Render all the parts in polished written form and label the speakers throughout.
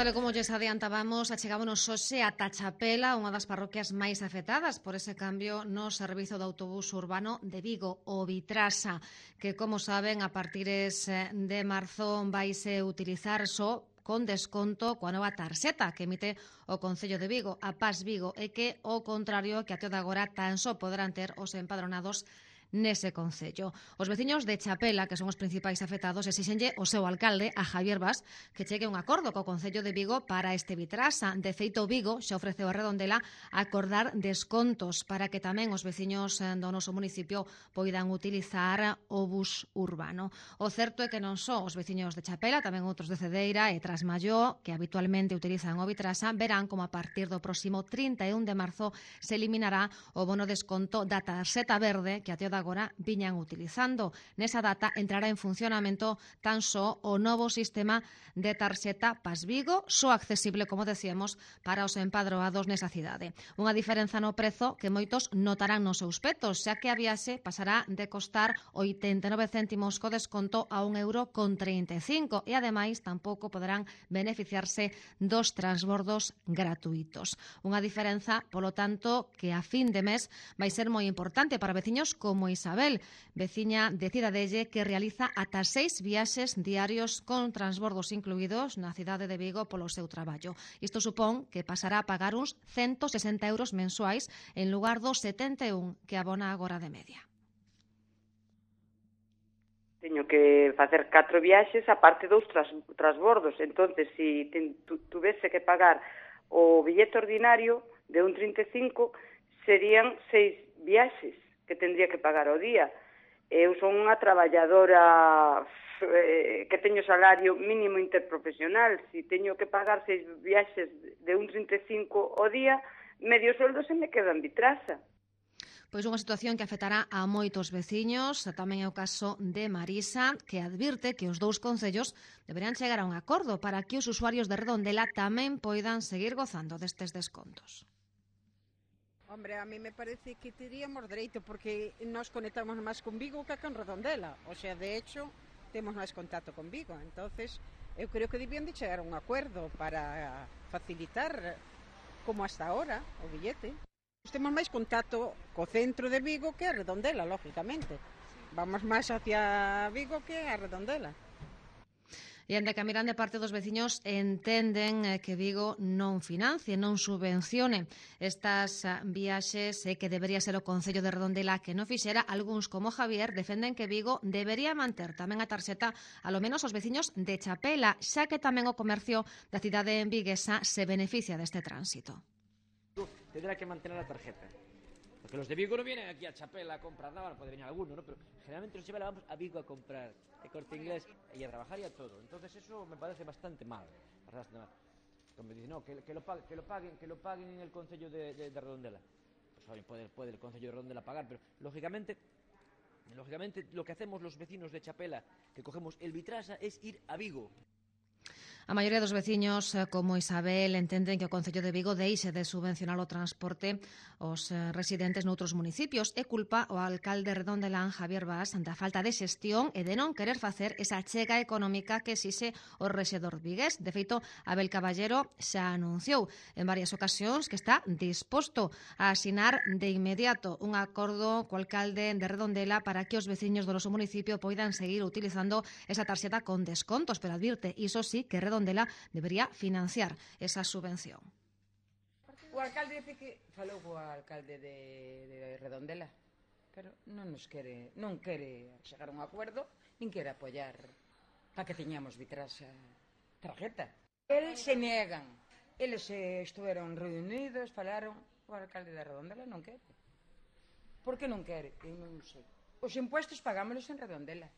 Speaker 1: Tal e como lles adiantábamos, achegámonos hoxe a Tachapela, unha das parroquias máis afectadas por ese cambio no servizo de autobús urbano de Vigo, o Vitrasa, que, como saben, a partires de marzo vaise utilizar só con desconto coa nova tarxeta que emite o Concello de Vigo, a Pas Vigo, e que, ao contrario que até de agora, tan só poderán ter os empadronados nese concello. Os veciños de Chapela, que son os principais afectados, exixenlle o seu alcalde, a Javier Bas, que chegue un acordo co Concello de Vigo para este Vitrasa. De feito, Vigo xa ofreceu a Redondela acordar descontos para que tamén os veciños do noso municipio poidan utilizar o bus urbano. O certo é que non só os veciños de Chapela, tamén outros de Cedeira e Trasmalló, que habitualmente utilizan o Vitrasa, verán como a partir do próximo 31 de marzo se eliminará o bono desconto da tarxeta verde que até o agora viñan utilizando. Nesa data entrará en funcionamento tan só o novo sistema de tarxeta Pas Vigo, só accesible, como decíamos, para os empadroados nesa cidade. Unha diferenza no prezo que moitos notarán nos seus petos, xa que a viaxe pasará de costar 89 céntimos co desconto a €1,35 e, ademais, tampouco poderán beneficiarse dos transbordos gratuitos. Unha diferenza, polo tanto, que a fin de mes vai ser moi importante para veciños como Isabel, veciña de Cidadelle, que realiza ata 6 viaxes diarios con transbordos incluídos na cidade de Vigo polo seu traballo. Isto supón que pasará a pagar uns €160 mensuais en lugar dos 71 que abona agora de media.
Speaker 2: Teño que facer 4 viaxes a parte dos transbordos. Entonces, se tuvese que pagar o billete ordinario de un 35, serían 6 viaxes que tendría que pagar ao día. Eu son unha traballadora que teño salario mínimo interprofesional. Se teño que pagar 6 viaxes de un 35 ao día, medio soldo se me queda en Vitrasa.
Speaker 1: Pois unha situación que afectará a moitos veciños, tamén é o caso de Marisa, que advirte que os dous concellos deberían chegar a un acordo para que os usuarios de Redondela tamén poidan seguir gozando destes descontos.
Speaker 3: Hombre, a mí me parece que teríamos dereito porque nos conectamos máis con Vigo que con Redondela. O sea, de hecho, temos máis contacto con Vigo. Entonces, eu creo que debían de chegar a un acuerdo para facilitar, como hasta ahora, o billete. Temos máis contacto co centro de Vigo que a Redondela, lógicamente. Vamos máis hacia Vigo que a Redondela.
Speaker 1: E ainda que a mirande parte dos veciños entenden que Vigo non financie, non subvencione estas viaxes e que debería ser o Concello de Redondela que non fixera. Algúns, como Javier, defenden que Vigo debería manter tamén a tarxeta alo menos os veciños de Chapela, xa que tamén o comercio da cidade viguesa se beneficia deste tránsito.
Speaker 4: Tendrá que mantener la tarjeta. Porque los de Vigo no vienen aquí a Chapela a comprar nada, puede venir alguno, ¿no? Pero generalmente los Chapela vamos a Vigo a comprar el Corte Inglés y a trabajar y a todo. Entonces eso me parece bastante mal. Como dicen, no, que lo paguen en el Concello de Redondela. Pues puede el Concello de Redondela pagar, pero lógicamente lo que hacemos los vecinos de Chapela, que cogemos el Vitrasa, es ir a Vigo.
Speaker 1: A maioría dos veciños, como Isabel, entenden que o Concello de Vigo deixe de subvencionar o transporte aos residentes noutros municipios e culpa o alcalde redondelán Javier Bas da falta de xestión e de non querer facer esa chega económica que exixe o rexedor vigués. De feito, Abel Caballero xa anunciou en varias ocasións que está disposto a asinar de inmediato un acordo co alcalde de Redondela para que os veciños do noso municipio poidan seguir utilizando esa tarxeta con descontos, pero advirte, iso sí, que Redondela debería financiar esa subvención.
Speaker 5: O alcalde dice que falou co alcalde de Redondela, pero non quere chegar a un acordo, nin quere apoiar para que teñamos Vitrasa tarjeta. Eles se negan, eles estuveron reunidos, falaron, o alcalde de Redondela non quere. Por que non quere? Eu non sei. Os impuestos pagámolos en Redondela.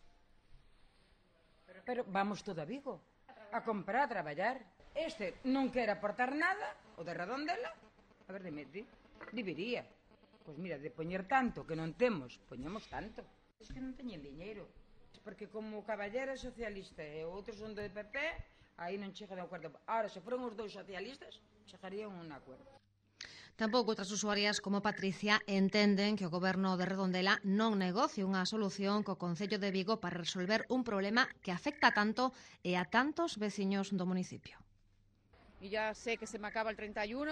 Speaker 5: Pero vamos todo a Vigo a comprar, a traballar. Este non quere aportar nada, o de Redondela, a ver, debería. Pois mira, de poñer tanto que non temos, poñemos tanto. Es que non teñen diñeiro. Porque como o Caballero é socialista e outros son do PP, aí non chega de acordo. Ahora, se foron os dous socialistas, chegarían a un acordo.
Speaker 1: Tampouco outras usuarias como Patricia entenden que o goberno de Redondela non negocie unha solución co Concello de Vigo para resolver un problema que afecta tanto e a tantos veciños do municipio.
Speaker 6: y ya sé que se me acaba el 31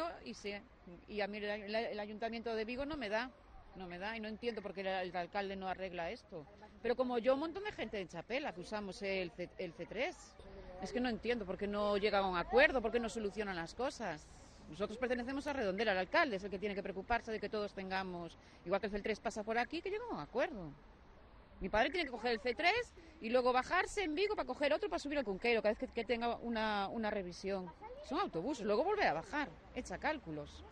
Speaker 6: y a mí el Ayuntamiento de Vigo no me da y no entiendo por qué el alcalde no arregla esto. Pero como yo, un montón de gente en Chapela que usamos el C3, es que no entiendo por qué no llegan a un acuerdo, por qué no solucionan las cosas. Nosotros pertenecemos a Redondela, el alcalde es el que tiene que preocuparse de que todos tengamos, igual que el C3 pasa por aquí, que lleguen a un acuerdo. Mi padre tiene que coger el C3 y luego bajarse en Vigo para coger otro para subir al Cunqueiro cada vez que tenga una revisión. Son autobuses, luego volver a bajar, echa cálculos.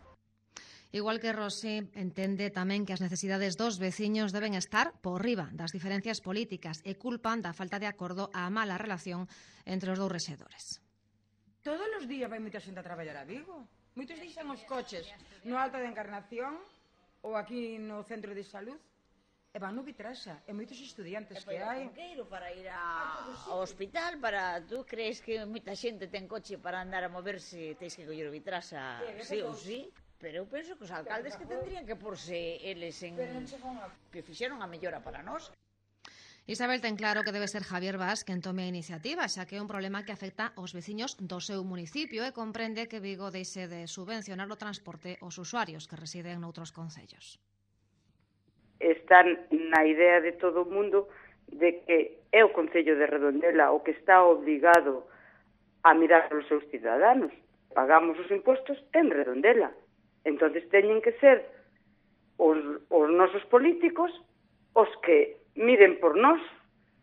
Speaker 1: Igual que Rosy, entende tamén que as necesidades dos veciños deben estar por riba das diferencias políticas e culpan da falta de acordo á mala relación entre os dous rexedores.
Speaker 5: Todos os días vai moita xente a traballar a Vigo. Moitos deixan os coches no Alta da Encarnación ou aquí no Centro de Salud e van no Vitrasa, e moitos estudiantes que hai.
Speaker 7: Para ir ao hospital, tú crees que moita xente ten coche para andar a moverse, tens que coller o Vitrasa, sí ou sí? Pero eu penso que os alcaldes que tendrían que porse eles en que fixeron a mellora para nós.
Speaker 1: Isabel ten claro que debe ser Javier Bas quen tome a iniciativa, xa que é un problema que afecta aos veciños do seu municipio e comprende que Vigo deixe de subvencionar o transporte aos usuarios que residen noutros concellos.
Speaker 2: Están na idea de todo o mundo de que é o Concello de Redondela o que está obligado a mirar os seus cidadanos. Pagamos os impostos en Redondela. Entonces teñen que ser os nosos políticos os que miren por nós.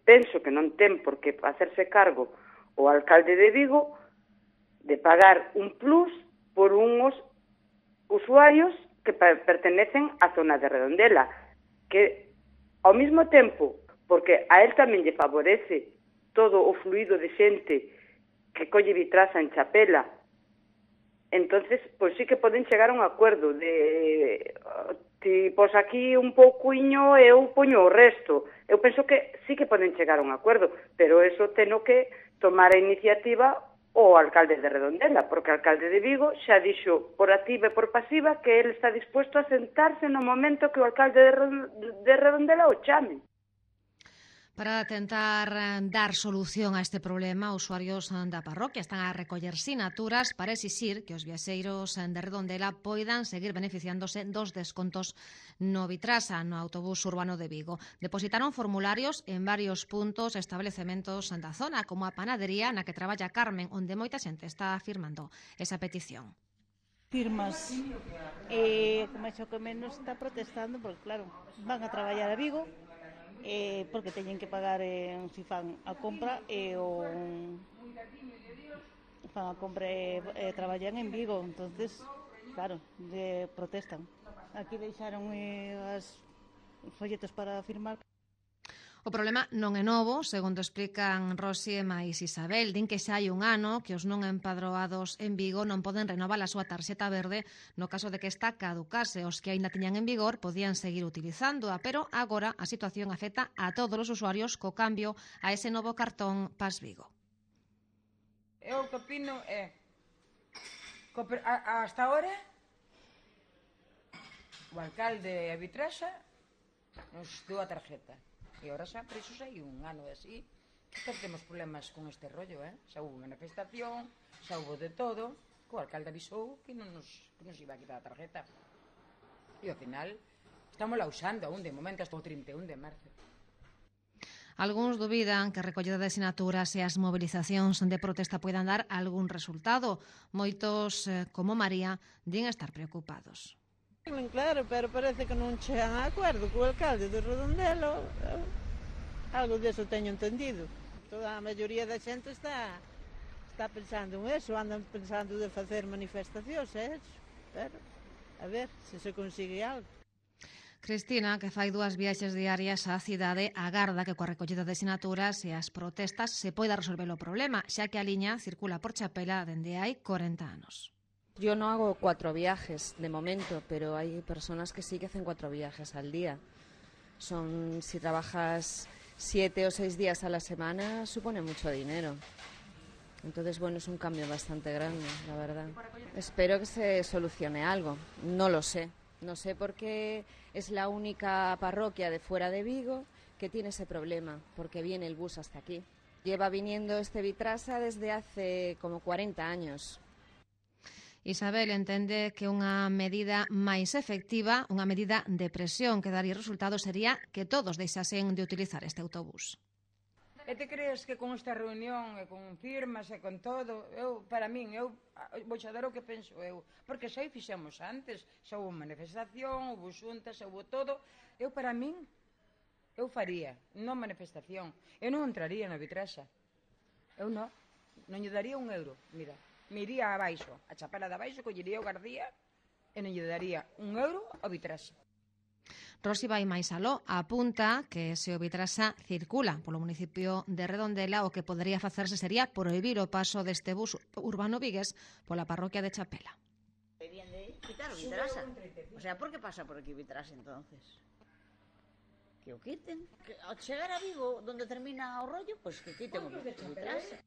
Speaker 2: Penso que non ten por que hacerse cargo o alcalde de Vigo de pagar un plus por uns usuarios que pertenecen á zona de Redondela, que ao mesmo tempo, porque a él tamén lle favorece todo o fluido de xente que colle Vitrasa en Chapela. Entonces, pois sí que poden chegar a un acordo de ti pos aquí un pouquiño e eu poño o resto. Eu penso que sí que poden chegar a un acordo, pero eso teno que tomar a iniciativa o alcalde de Redondela, porque o alcalde de Vigo xa dixo por activa e por pasiva que ele está dispuesto a sentarse no momento que o alcalde de Redondela o chame.
Speaker 1: Para tentar dar solución a este problema, usuarios da parroquia están a recoller sinaturas para exixir que os viaxeiros de Redondela poidan seguir beneficiándose dos descontos no Vitrasa, no autobús urbano de Vigo. Depositaron formularios en varios puntos e establecementos da zona, como a panadería na que traballa Carmen, onde moita xente está afirmando esa petición.
Speaker 8: Firmas que máis ou que menos está protestando porque claro, van a traballar a Vigo porque teñen que pagar si fan a compra fan a compra e traballan en Vigo, entonces claro, protestan. Aquí deixaron os folletos para firmar.
Speaker 1: O problema non é novo, segundo explican Rosy e máis Isabel. Din que xa hai un ano que os non empadroados en Vigo non poden renovar a súa tarxeta verde no caso de que esta caducase. Os que aínda tiñan en vigor podían seguir utilizándoa, pero agora a situación afecta a todos os usuarios co cambio a ese novo cartón Pas Vigo.
Speaker 5: Eu que opino é hasta ahora o alcalde de Vitrasa nos deu a tarjeta. E agora xa, por iso xa hai un ano así, que temos problemas con este rollo, xa hubo manifestación, xa hubo de todo, que o alcalde avisou que non nos iba a quitar a tarjeta. E ao final, estamos la usando aún de momento hasta o 31 de marzo.
Speaker 1: Algúns dubidan que a recollida de sinaturas e as movilizacións de protesta poidan dar algún resultado. Moitos, como María, din estar preocupados.
Speaker 3: Claro, pero parece que non chegan a acordo co alcalde de Redondela. Algo deso teño entendido. Toda a maioría da xente está pensando en eso, andan pensando de facer manifestacións, pero a ver se consigue algo.
Speaker 1: Cristina, que fai 2 viaxes diarias á cidade, agarda que coa recollida de sinaturas e as protestas se poida resolver o problema, xa que a liña circula por Chapela dende hai 40 anos.
Speaker 9: Yo no hago 4 viajes de momento, pero hay personas que sí que hacen 4 viajes al día. Si trabajas 7 o 6 días a la semana, supone mucho dinero. Entonces, bueno, es un cambio bastante grande, la verdad. Espero que se solucione algo. No lo sé. No sé por qué es la única parroquia de fuera de Vigo que tiene ese problema, porque viene el bus hasta aquí. Lleva viniendo este Vitrasa desde hace como 40 años.
Speaker 1: Isabel entende que unha medida máis efectiva, unha medida de presión que daría resultados sería que todos deixasen de utilizar este autobús.
Speaker 5: E te crees que con esta reunión e con firmas e con todo, para min, vou xa dar o que penso eu, porque xa o fixemos antes, xa houve manifestación, houve xuntas, houve todo, para min, eu faría, non manifestación, eu non entraría na Vitraxa, eu non lle daría €1, mira, me iría abaixo, a chapela de abaixo, collería o Gardía e non lle daría €1 ao Vitraxa.
Speaker 1: Rosi vai máis aló, apunta que se o Vitraxa circula polo municipio de Redondela, o que podería facerse sería prohibir o paso deste bus urbano vigués pola parroquia de Chapela.
Speaker 7: Deberían de quitar o Vitraxa. O sea, por que pasa por aquí o Vitraxa entonces? Que o quiten. Que ao chegar a Vigo, donde termina o rollo, pois que quiten o Vitraxa.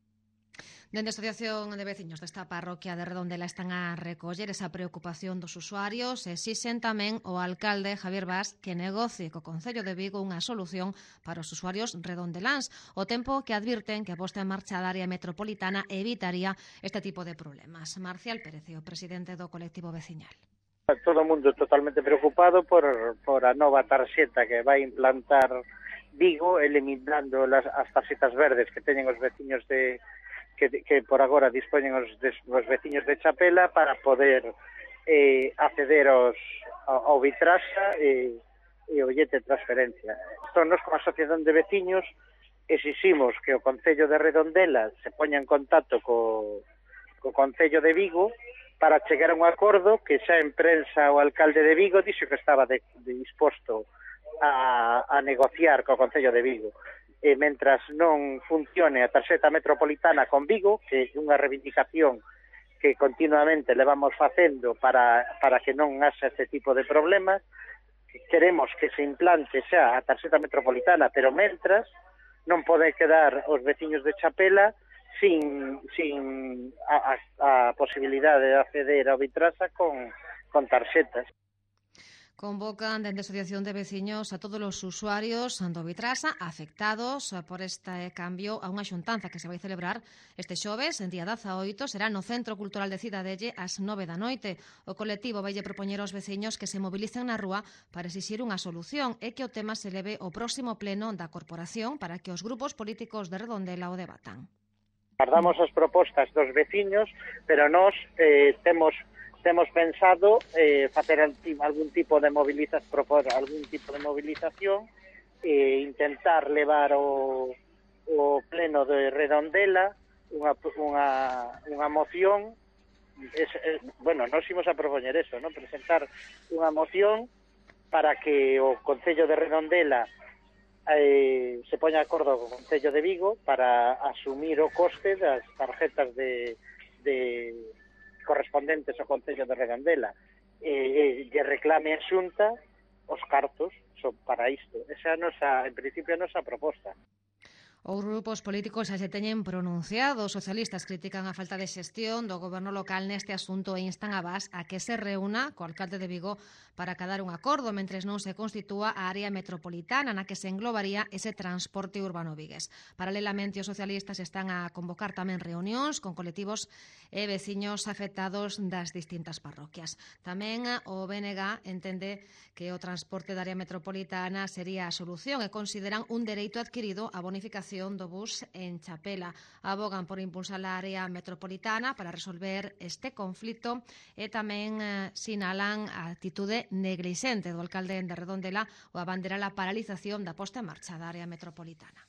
Speaker 1: Dende a Asociación de Veciños desta parroquia de Redondela están a recoller esa preocupación dos usuarios e exixen tamén o alcalde Javier Bas que negocie co Concello de Vigo unha solución para os usuarios redondeláns, o tempo que advirten que a posta en marcha da área metropolitana evitaría este tipo de problemas. Marcial Pérez, o presidente do colectivo veciñal.
Speaker 10: Todo o mundo totalmente preocupado por a nova tarxeta que vai implantar Vigo, eliminando as tarxetas verdes que teñen os veciños que por agora dispoñen os veciños de Chapela para poder acceder ao Vitraxa e o billete de transferencia. Nos, como asociación de veciños, exiximos que o Concello de Redondela se poña en contacto co Concello de Vigo para chegar a un acordo que xa en prensa o alcalde de Vigo dixo que estaba disposto a negociar co Concello de Vigo. E mentras non funcione a tarxeta metropolitana con Vigo, que é unha reivindicación que continuamente levamos facendo para que non haxa este tipo de problemas, queremos que se implante xa a tarxeta metropolitana, pero mentras non pode quedar os veciños de Chapela sin a posibilidade de acceder ao Vitraxa con tarxetas.
Speaker 1: Convocan dende a Asociación de Veciños a todos os usuarios do Vitraxa afectados por este cambio a unha xuntanza que se vai celebrar este xoves, en día 18, será no Centro Cultural de Cidadelle ás 9 da noite. O colectivo vaille propoñer aos veciños que se mobilicen na rúa para exixir unha solución e que o tema se leve ao próximo pleno da corporación para que os grupos políticos de Redondela o debatan.
Speaker 10: Guardamos as propostas dos veciños, pero nós temos pensado facer algún tipo de movilización e intentar levar o pleno de Redondela unha moción. Nós imos a propoñer eso, ¿no? Presentar unha moción para que o Concello de Redondela se poña de acordo co Concello de Vigo para asumir o coste das tarjetas de correspondentes ao Concello de Redondela lle reclame a Xunta os cartos para isto. Esa é en principio a nosa proposta.
Speaker 1: Os grupos políticos xa se teñen pronunciado. Os socialistas critican a falta de xestión do goberno local neste asunto e instan a Bas a que se reúna co alcalde de Vigo para acadar un acordo mentres non se constitúa a área metropolitana na que se englobaría ese transporte urbano vigués. Paralelamente, os socialistas están a convocar tamén reunións con colectivos e veciños afectados das distintas parroquias. Tamén o BNG entende que o transporte da área metropolitana sería a solución e consideran un dereito adquirido a bonificación do bus en Chapela. Abogan por impulsar a área metropolitana para resolver este conflito e tamén sinalan a actitude neglixente do alcalde de Redondela o abanderar a paralización da posta en marcha da área metropolitana.